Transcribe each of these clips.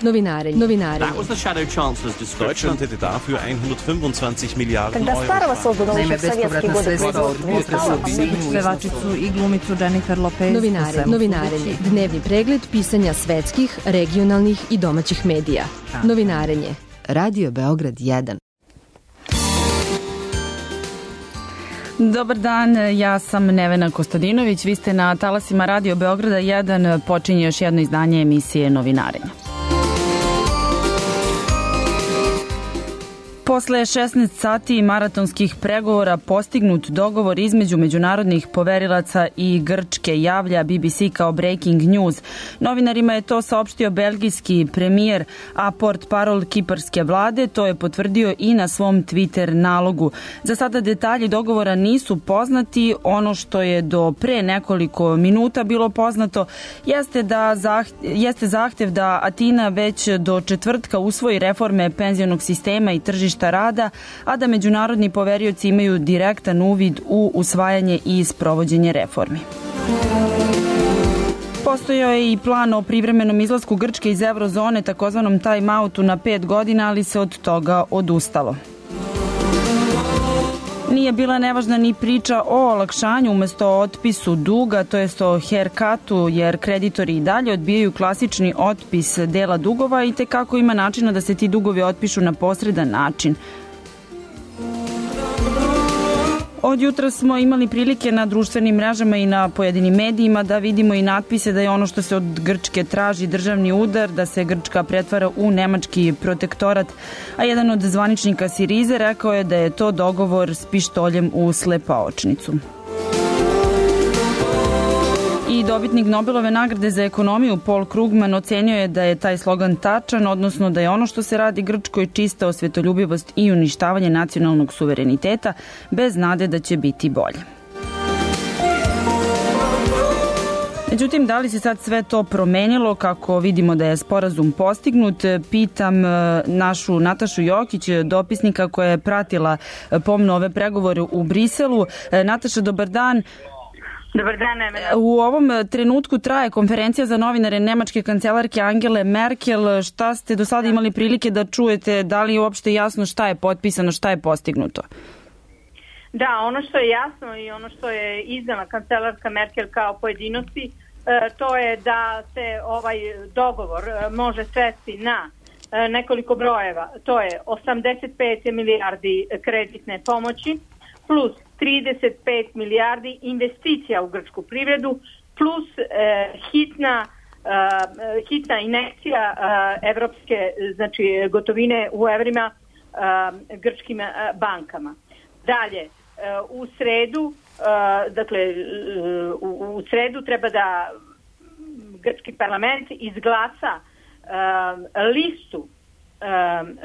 Novinarenje. Deutschland hätte dafür 125 Milijarden Euro. Naime, bespovratna sredstva od putre su pevačicu i glumicu Jennifer Lopez. Novinarenje. Dnevni pregled pisanja svetskih, regionalnih i domaćih medija. Novinarenje. Radio Beograd 1. Dobar dan, ja sam Nevena Kostadinović, vi ste na talasima Radio Beograda 1, počinje još jedno izdanje emisije Novinarenja. Posle 16 sati maratonskih pregovora postignut dogovor između međunarodnih poverilaca i Grčke, javlja BBC kao breaking news. Novinarima je to saopštio belgijski premijer, a portparol kiparske vlade to je potvrdio i na svom Twitter nalogu. Za sada detalji dogovora nisu poznati. Ono što je do pre nekoliko minuta bilo poznato jeste zahtev da Atina već do četvrtka usvoji reforme penzionog sistema i tržišta rada, a da međunarodni poverioci imaju direktan uvid u usvajanje i sprovođenje reformi. Postojao je i plan o privremenom izlasku Grčke iz eurozone, takozvanom time-outu na 5 godina, ali se od toga odustalo. Nije bila nevažna ni priča o olakšanju umesto otpisu duga, to jest o haircutu, jer kreditori i dalje odbijaju klasični otpis dela dugova i tekako ima načina da se ti dugovi otpišu na posredan način. Od jutra smo imali prilike na društvenim mrežama i na pojedinim medijima da vidimo i natpise da je ono što se od Grčke traži državni udar, da se Grčka pretvara u nemački protektorat, a jedan od zvaničnika Sirize rekao je da je to dogovor s pištoljem u slepaočnicu. I dobitnik Nobelove nagrade za ekonomiju Paul Krugman ocenio je da je taj slogan tačan, odnosno da je ono što se radi Grčkoj čista osvetoljubivost i uništavanje nacionalnog suvereniteta, bez nade da će biti bolje. Međutim, da li se sad sve to promenilo kako vidimo da je sporazum postignut? Pitam našu Natašu Jokić, dopisnika koja je pratila pomno ove pregovore u Briselu. Nataša, dobar dan. Dobar dan, Nevena. U ovom trenutku traje konferencija za novinare nemačke kancelarke Angele Merkel. Šta ste do sada imali prilike da čujete? Da li je uopšte jasno šta je potpisano, šta je postignuto? Da, ono što je jasno i ono što je izdala kancelarka Merkel kao pojedinosti, to je da se ovaj dogovor može svesti na nekoliko brojeva. To je 85 milijardi kreditne pomoći plus 35 milijardi investicija u grčku privredu plus hitna injekcija evropske, znači gotovine u evrima grčkim bankama. Dalje, u sredu, u sredu treba da grčki parlament izglasa listu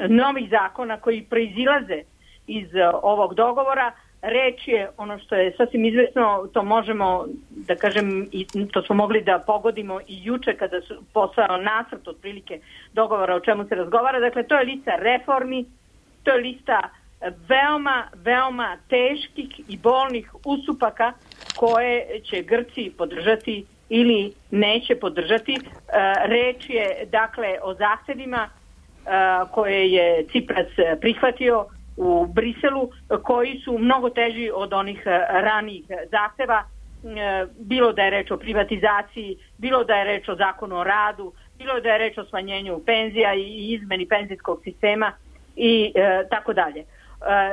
novih zakona koji proizilaze iz ovog dogovora. Reč je, ono što je sasvim izvesno, to možemo da kažem, i to smo mogli da pogodimo i juče kada su posao nacrt otprilike dogovora o čemu se razgovara. Dakle, to je lista reformi, to je lista veoma, veoma teških i bolnih ustupaka koje će Grci podržati ili neće podržati. Reč je, dakle, o zahtevima koje je Cipras prihvatio u Briselu, koji su mnogo teži od onih ranijih zahteva, bilo da je reč o privatizaciji, bilo da je reč o zakonu o radu, bilo da je reč o smanjenju penzija i izmeni penzijskog sistema i tako dalje.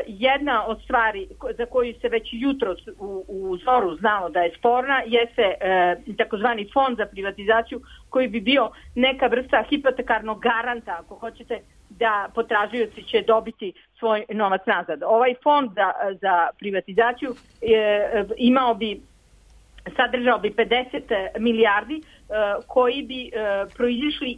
Jedna od stvari za koju se već jutro u zoru znalo da je sporna jeste takozvani fond za privatizaciju koji bi bio neka vrsta hipotekarnog garanta, ako hoćete, da potražioci će dobiti svoj novac nazad. Ovaj fond za privatizaciju sadržao bi 50 milijardi koji bi proizišli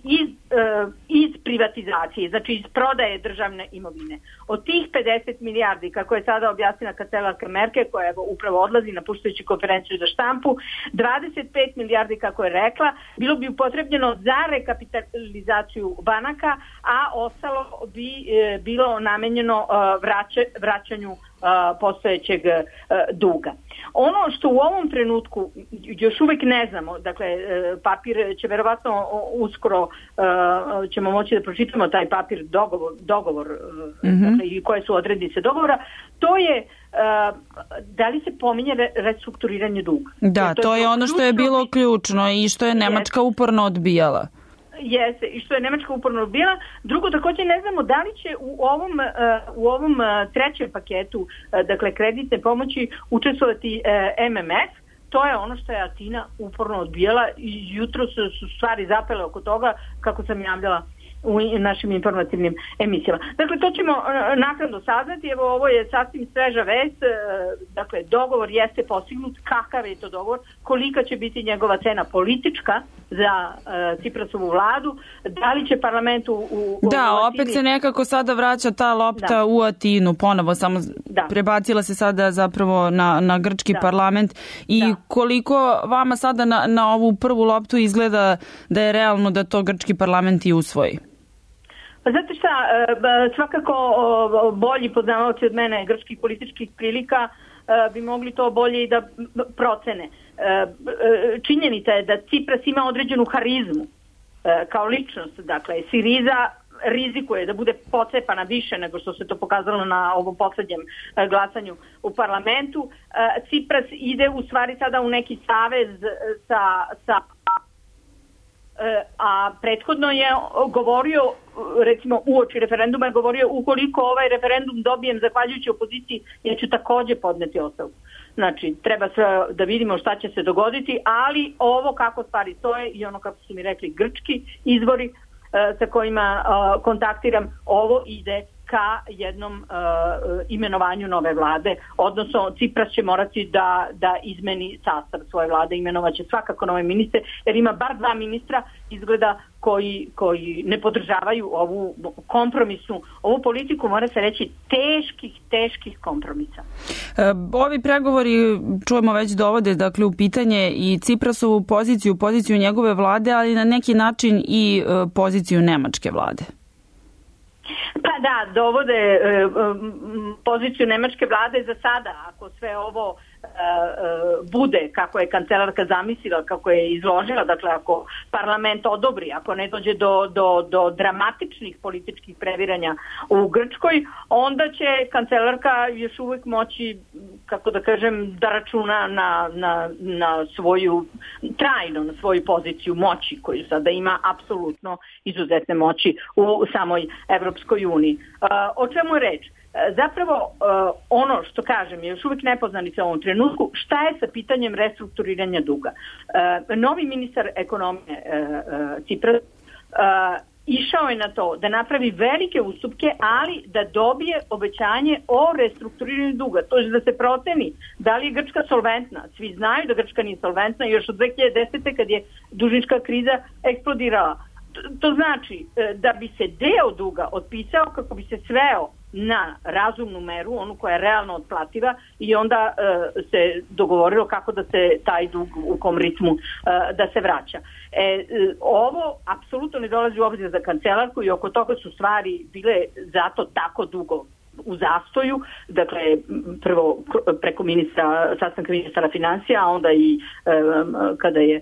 iz privatizacije, znači iz prodaje državne imovine. Od tih 50 milijardi, kako je sada objasnila kancelarka Merkel, koja upravo odlazi napuštajući konferenciju za štampu, 25 milijardi, kako je rekla, bilo bi upotrebljeno za rekapitalizaciju banaka, a ostalo bi bilo namenjeno vraćanju postojećeg duga. Ono što u ovom trenutku još uvek ne znamo, dakle papir će verovatno uskoro ćemo moći da pročitamo taj papir dogovor dakle, i koje su odrednice dogovora, to je da li se pominje restrukturiranje duga. Da, to je ono što je bilo ključno i što je Nemačka uporno odbijala. Jeste, i što je Nemačka uporno odbijala. Drugo, također ne znamo da li će u ovom trećem paketu, dakle kreditne pomoći, učestvovati MMF. To je ono što je Atina uporno odbijala i jutro su stvari zapele oko toga, kako sam javljala u našim informativnim emisijama. Dakle, to ćemo naknadno saznati. Evo, ovo je sasvim sveža vest. Dakle, dogovor jeste postignut. Kakav je to dogovor? Kolika će biti njegova cena politička za Ciprasovu vladu? Da li će parlament u opet se nekako sada vraća ta lopta u Atinu ponovo, samo prebacila se sada zapravo na grčki parlament. I koliko vama sada na ovu prvu loptu izgleda da je realno da to grčki parlament i usvoji? Pa znate šta, svakako bolji poznavaoci od mene grčkih političkih prilika bi mogli to bolje i da procene. Činjenica je da Cipras ima određenu harizmu kao ličnost, dakle Siriza rizikuje da bude pocepana više nego što se to pokazalo na ovom poslednjem glasanju u parlamentu. Cipras ide u stvari sada u neki savez sa a prethodno je govorio, recimo uoči referenduma je govorio, ukoliko ovaj referendum dobijem zahvaljujući opoziciji, ja ću također podneti ostavku. Znači, treba sve da vidimo šta će se dogoditi, ali ovo kako stvari stoje i ono kako su mi rekli grčki izvori sa kojima kontaktiram, ovo ide ka jednom imenovanju nove vlade, odnosno Cipras će morati da izmeni sastav svoje vlade, imenovaće svakako nove ministre, jer ima bar 2 ministra izgleda koji ne podržavaju ovu kompromisnu, ovu politiku, mora se reći, teških kompromisa. Ovi pregovori, čujemo, već dovode dakle u pitanje i Ciprasovu poziciju njegove vlade, ali na neki način i poziciju nemačke vlade. Pa da, dovode poziciju nemačke vlade za sada, ako sve ovo bude kako je kancelarka zamislila, kako je izložila, dakle ako parlament odobri, ako ne dođe do dramatičnih političkih previranja u Grčkoj, onda će kancelarka još uvijek moći, kako da kažem, da računa na svoju, trajno na svoju poziciju moći koju sada ima, apsolutno izuzetne moći u samoj Evropskoj uniji. O čemu je reč? Zapravo ono što kažem je još uvijek nepoznanica u ovom trenutku, šta je sa pitanjem restrukturiranja duga. Novi ministar ekonomije Cipras išao je na to da napravi velike ustupke, ali da dobije obećanje o restrukturiranju duga. To je da se proceni da li je Grčka solventna. Svi znaju da Grčka nije solventna još od 2010. kad je dužnička kriza eksplodirala. To znači da bi se deo duga otpisao kako bi se sveo na razumnu meru, onu koja je realno otplativa, i onda se dogovorilo kako da se taj dug u kom ritmu da se vraća. Ovo apsolutno ne dolazi u obzir za kancelarku i oko toga su stvari bile zato tako dugo u zastoju, dakle prvo preko sastanka ministara financija, a onda i kada je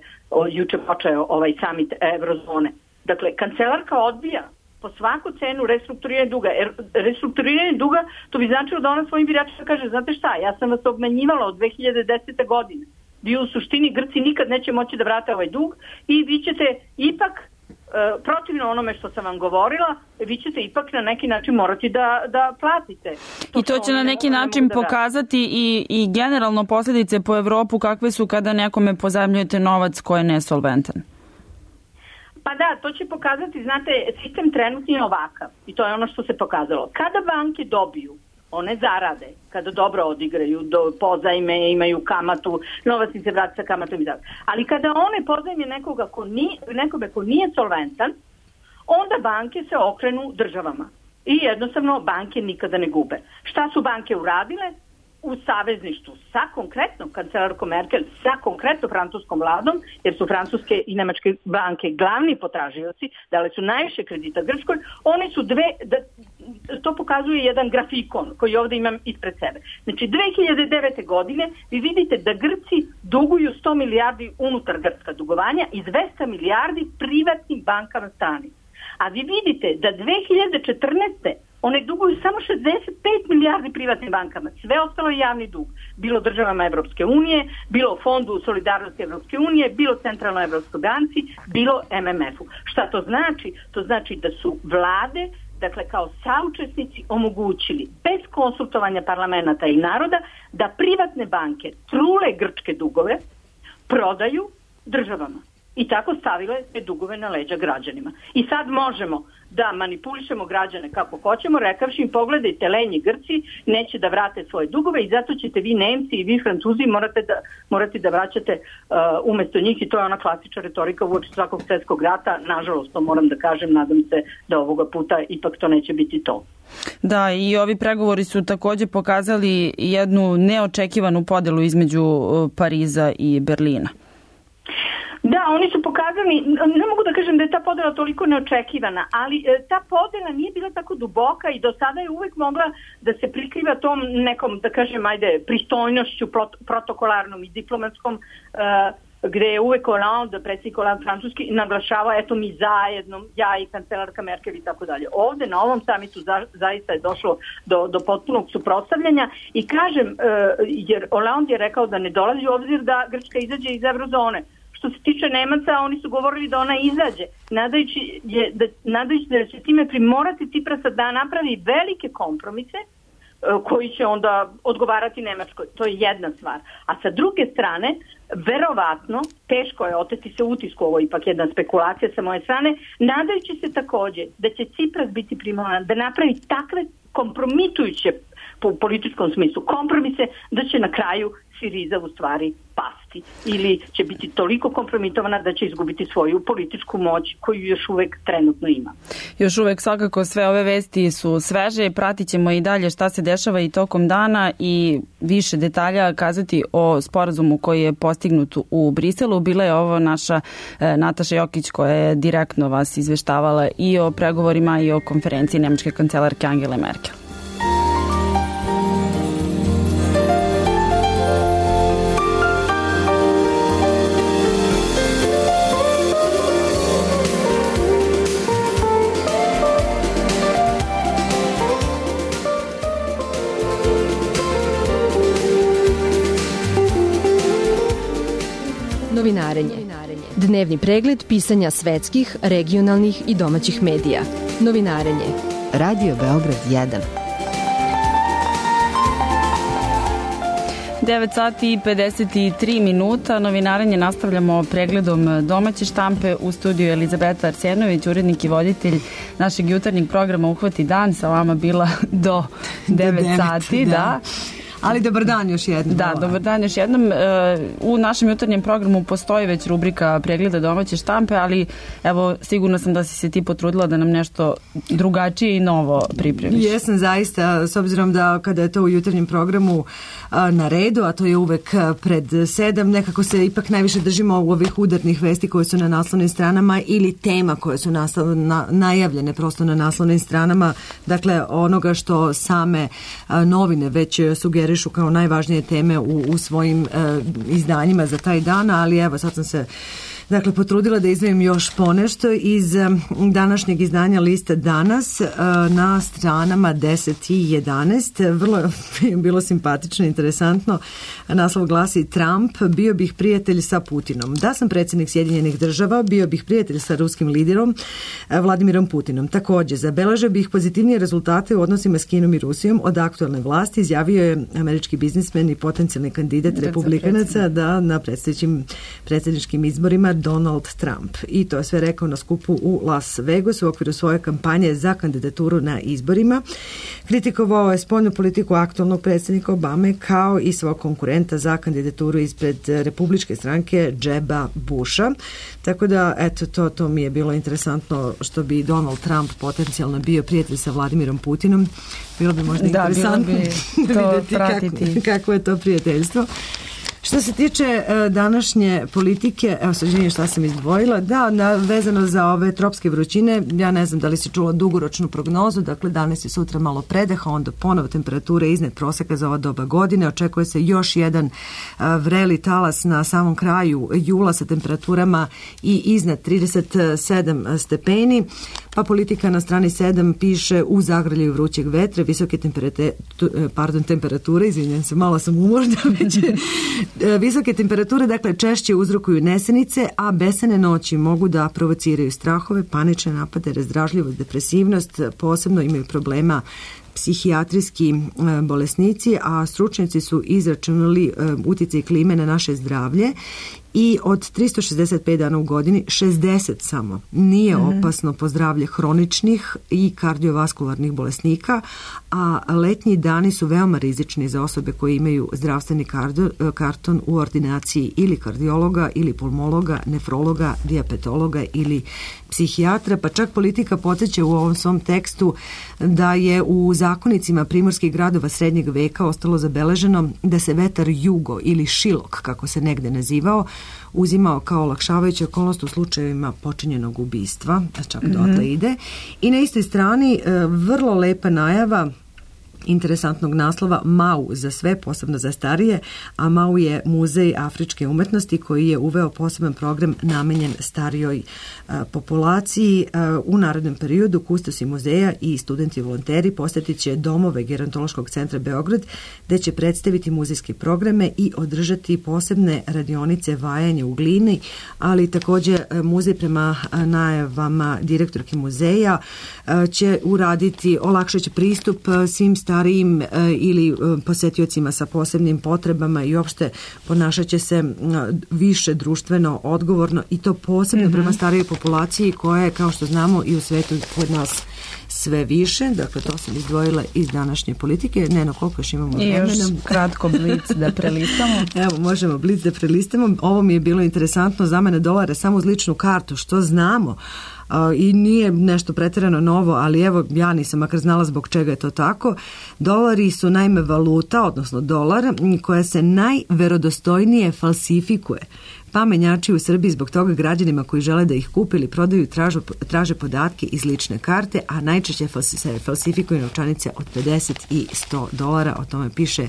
juče počeo ovaj summit Eurozone. Dakle, kancelarka odbija po svaku cenu restrukturiranje duga. Restrukturiranje duga, to bi značilo da ona svojim biračima kaže, znate šta, ja sam vas obmanjivala od 2010. godine. Vi u suštini Grci nikad neće moći da vrate ovaj dug i vi ćete ipak, protivno onome što sam vam govorila, vi ćete ipak na neki način morati da platite. I to će na neki način pokazati i generalno posljedice po Evropu kakve su kada nekome pozajmljujete novac ko je nesolventan. Pa da, to će pokazati, znate, sistem trenutni je ovakav i to je ono što se pokazalo. Kada banke dobiju, one zarade, kada dobro odigraju, pozajme, imaju kamatu, novac im se vrati sa kamatom i tako. Ali kada one pozajme nekome ko nije solventan, onda banke se okrenu državama. I jednostavno banke nikada ne gube. Šta su banke uradile? u savezništvu sa konkretno kancelarkom Merkel, sa konkretno francuskom vladom, jer su francuske i nemačke banke glavni potražioci, dali su najviše kredita Grčkoj, oni su to pokazuje jedan grafikon koji ovdje imam ispred sebe. Znači 2009. godine vi vidite da Grci duguju 100 milijardi unutar grčka dugovanja i 200 milijardi privatnim bankama strani. A vi vidite da 2014. one duguju samo 65 milijardi privatnim bankama. Sve ostalo je javni dug. Bilo državama Evropske unije, bilo Fondu solidarnosti Evropske unije, bilo Centralnoj Evropskoj banci, bilo MMF-u. Šta to znači? To znači da su vlade, dakle kao saučesnici, omogućili bez konsultovanja parlamenta i naroda da privatne banke trule grčke dugove, prodaju državama. I tako stavile te dugove na leđa građanima. I sad možemo da manipulišemo građane kako hoćemo, rekavši im pogledajte, lenji Grci neće da vrate svoje dugove i zato ćete vi Nemci i vi Francuzi morate da vraćate umjesto njih, i to je ona klasična retorika uoči svakog svjetskog rata. Nažalost, to moram da kažem, nadam se da ovoga puta ipak to neće biti to. Da, i ovi pregovori su također pokazali jednu neočekivanu podelu između Pariza i Berlina. Da, oni su pokazali, ne mogu da kažem da je ta podela toliko neočekivana, ali ta podela nije bila tako duboka i do sada je uvek mogla da se prikriva tom nekom, da kažem, pristojnošću protokolarnom i diplomatskom, gde je uvek Hollande, predsjednik Hollande francuski, naglašava, eto mi zajedno, ja i kancelarka Merkel i tako dalje. Ovde na ovom samitu zaista je došlo do potpunog suprotstavljanja i kažem, jer Hollande je rekao da ne dolazi u obzir da Grčka izađe iz eurozone. Što se tiče Nemaca, oni su govorili da ona izađe, nadajući da će time primorati Ciprasa da napravi velike kompromise koji će onda odgovarati Nemačkoj. To je jedna stvar. A sa druge strane, verovatno, teško je oteti se utisku, ovo ipak jedna spekulacija sa moje strane, nadajući se također da će Cipras biti primoran da napravi takve kompromitujuće po političkom smislu kompromise, da će na kraju Siriza u stvari pasti ili će biti toliko kompromitovana da će izgubiti svoju političku moć koju još uvek trenutno ima. Još uvek svakako sve ove vesti su sveže, pratit ćemo i dalje šta se dešava i tokom dana i više detalja kazati o sporazumu koji je postignut u Briselu. Bila je ovo naša Nataša Jokić koja je direktno vas izveštavala i o pregovorima i o konferenciji nemačke kancelarke Angele Merkel. Novinarenje. Dnevni pregled pisanja svetskih, regionalnih i domaćih medija. Novinarenje. Radio Beograd 1. 9 sati i 53 minuta. Novinarenje nastavljamo pregledom domaće štampe. U studiju Elizabeta Arsenović, urednik i voditelj našeg jutarnjeg programa Uhvati dan. Sa vama bila do 9 sati. Da. Ali dobar dan još jednom. Da, dobar dan još jednom. U našem jutarnjem programu postoji već rubrika pregleda domaće štampe, ali evo, sigurno sam da si se ti potrudila da nam nešto drugačije i novo pripremiš. Jesam zaista, s obzirom da kada je to u jutarnjem programu na redu, a to je uvek pred 7, nekako se ipak najviše držimo u ovih udarnih vesti koje su na naslovnim stranama ili tema koje su najavljene prosto na naslovnim stranama, dakle onoga što same novine već sugerišu kao najvažnije teme u svojim izdanjima za taj dan, ali evo sad sam se potrudila da izdvojim još ponešto iz današnjeg izdanja lista Danas na stranama 10 i 11. Vrlo je bilo simpatično, interesantno. Naslov glasi: Trump, bio bih prijatelj sa Putinom. Da sam predsjednik Sjedinjenih država, bio bih prijatelj sa ruskim liderom Vladimirom Putinom. Također, zabeležio bih pozitivnije rezultate u odnosima s Kinom i Rusijom od aktualne vlasti, izjavio je američki biznismen i potencijalni kandidat republikanaca na predsjedničkim izborima Donald Trump. I to je sve rekao na skupu u Las Vegasu u okviru svoje kampanje za kandidaturu na izborima. Kritikovao je spoljnu politiku aktualnog predsjednika Obame kao i svog konkurenta za kandidaturu ispred republičke stranke Jeba Busha. Tako da, eto, to mi je bilo interesantno što bi Donald Trump potencijalno bio prijatelj sa Vladimirom Putinom. Bilo bi možda interesantno vidjeti kako je to prijateljstvo. Što se tiče današnje politike, evo sad želim šta sam izdvojila, vezano za ove tropske vrućine, ja ne znam da li si čula dugoročnu prognozu, dakle danas je sutra malo predeha, onda ponovo temperature iznad proseka za ova doba godine, očekuje se još jedan vreli talas na samom kraju jula sa temperaturama i iznad 37 stepeni, pa politika na strani 7 piše u zagrljaju vrućeg vetra, visoke temperature, izvinjam se, malo sam umorna već. Visoke temperature, dakle, češće uzrokuju nesenice, a besane noći mogu da provociraju strahove, panične napade, razdražljivost, depresivnost, posebno imaju problema psihijatrijski bolesnici, a stručnjaci su izračunali utjecaj klime na naše zdravlje i od 365 dana u godini 60 samo nije opasno po zdravlje hroničnih i kardiovaskularnih bolesnika, a letnji dani su veoma rizični za osobe koje imaju zdravstveni karton u ordinaciji ili kardiologa ili pulmologa, nefrologa, dijabetologa ili psihijatra, pa čak politika podsjeća u ovom svom tekstu da je u zakonicima primorskih gradova srednjeg veka ostalo zabeleženo da se vetar jugo ili šilok, kako se negde nazivao, uzimao kao olakšavajuća okolnost u slučajevima počinjenog ubistva, a čak dotle ide. I na istoj strani vrlo lepa najava interesantnog naslova MAU za sve, posebno za starije, a MAU je muzej afričke umetnosti koji je uveo poseban program namenjen starijoj populaciji. U narednom periodu kustosi muzeja i studenti volonteri posjetit će domove Gerontološkog centra Beograd, gde će predstaviti muzejske programe i održati posebne radionice vajanja u glini, ali također muzej prema najavama direktorke muzeja će uraditi, olakšat će pristup svim starijim ili posetiocima sa posebnim potrebama i uopšte ponašat će se više društveno odgovorno i to posebno prema starijoj populaciji koja je, kao što znamo, i u svetu kod nas sve više. Dakle, to sam izdvojila iz današnje politike. Neno, koliko još imamo vremena? I još kratko blic da prelistamo. Evo, možemo blic da prelistamo. Ovo mi je bilo interesantno za mene, dolara samo uz ličnu kartu. Što znamo? I nije nešto pretjerano novo, ali evo, ja nisam makar znala zbog čega je to tako. Dolari su naime valuta, odnosno dolar, koja se najverodostojnije falsifikuje. Pa menjači u Srbiji zbog toga građanima koji žele da ih kupe ili prodaju traže podatke iz lične karte, a najčešće se falsifikuju novčanice od 50 i $100. O tome piše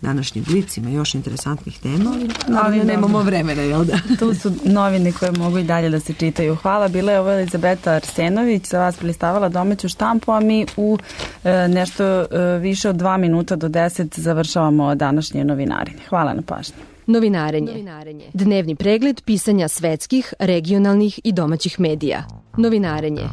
današnji Blic. Ima još interesantnih tema, ali nemamo vremena, jel da? Tu su novine koje mogu i dalje da se čitaju. Hvala, bila je ovo Elizabeta Arsenović, za vas prelistavala domaću štampu, a mi u nešto više od 2 minuta do 10 završavamo današnje novinarenje. Hvala na pažnji. Novinarenje. Dnevni pregled pisanja svetskih, regionalnih i domaćih medija. Novinarenje.